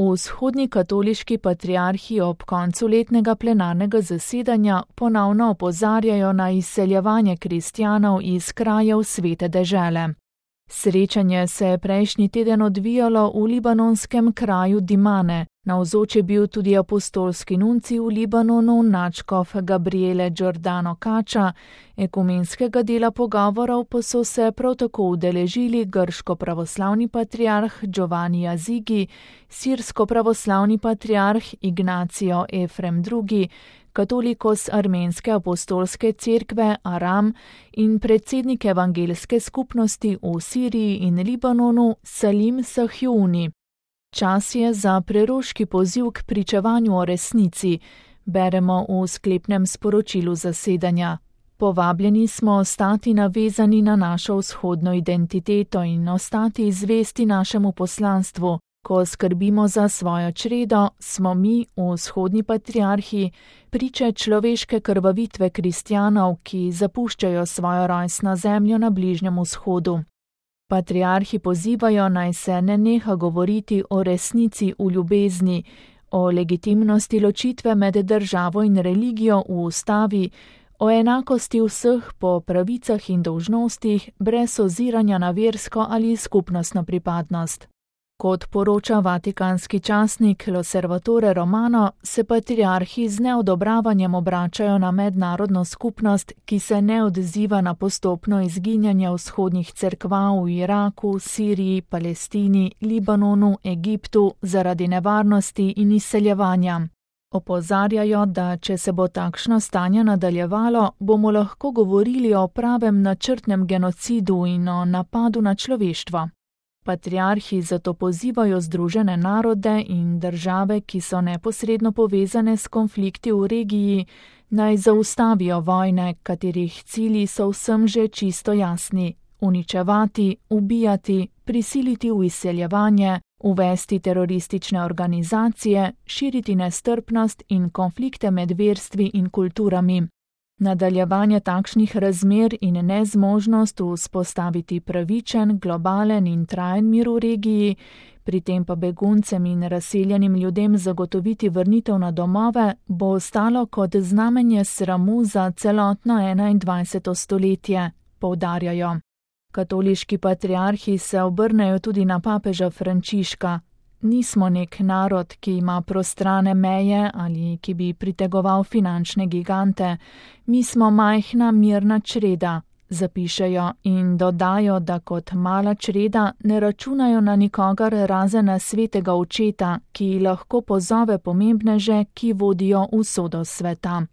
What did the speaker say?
Vzhodni katoliški patriarhi ob koncu letnega plenarnega zasedanja ponovno opozarjajo na izseljevanje kristjanov iz krajev Svete dežele. Srečanje se je prejšnji teden odvijalo v libanonskem kraju Dimane. Navzoč je bil tudi apostolski nuncij v Libanonu, nadškof Gabriele Giordano Kača. Ekumenskega dela pogovorov pa so se prav tako udeležili grško-pravoslavni patriarh Giovanni Azigi, sirsko-pravoslavni patriarh Ignacio Efrem II., katolikos armenske apostolske cerkve Aram in predsednik evangelske skupnosti v Siriji in Libanonu Salim Sahjuni. Čas je za preroški poziv k pričevanju o resnici, beremo v sklepnem sporočilu zasedanja. Povabljeni smo ostati navezani na našo vzhodno identiteto in ostati zvesti našemu poslanstvu. Ko skrbimo za svojo čredo, smo mi, vzhodni patriarhi, priče človeške krvavitve kristjanov, ki zapuščajo svojo rojstno zemljo na Bližnjem vzhodu. Patriarhi pozivajo, naj se ne neha govoriti o resnici v ljubezni, o legitimnosti ločitve med državo in religijo v ustavi, o enakosti vseh po pravicah in dolžnostih, brez oziranja na versko ali skupnostno pripadnost. Kot poroča vatikanski časnik L'Osservatore Romano, se patriarhi z neodobravanjem obračajo na mednarodno skupnost, ki se ne odziva na postopno izginjanje vzhodnih cerkva v Iraku, Siriji, Palestini, Libanonu, Egiptu zaradi nevarnosti in izseljevanja. Opozarjajo, da če se bo takšno stanje nadaljevalo, bomo lahko govorili o pravem načrtnem genocidu in o napadu na človeštvo. Patriarhi zato pozivajo Združene narode in države, ki so neposredno povezane s konflikti v regiji, naj zaustavijo vojne, katerih cilji so vsem že čisto jasni: uničevati, ubijati, prisiliti v izseljevanje, uvesti teroristične organizacije, širiti nestrpnost in konflikte med verstvi in kulturami. Nadaljevanje takšnih razmer in nezmožnost vzpostaviti pravičen, globalen in trajen mir v regiji, pri tem pa beguncem in razseljenim ljudem zagotoviti vrnitev na domove, bo ostalo kot znamenje sramu za celotno 21. stoletje, poudarjajo. Katoliški patriarhi se obrnejo tudi na papeža Frančiška. Nismo nek narod, ki ima prostrane meje ali ki bi pritegoval finančne gigante. Mi smo majhna mirna čreda, zapišejo in dodajo, da kot mala čreda ne računajo na nikogar razen na svetega očeta, ki lahko pozove pomembneže, ki vodijo usodo sveta.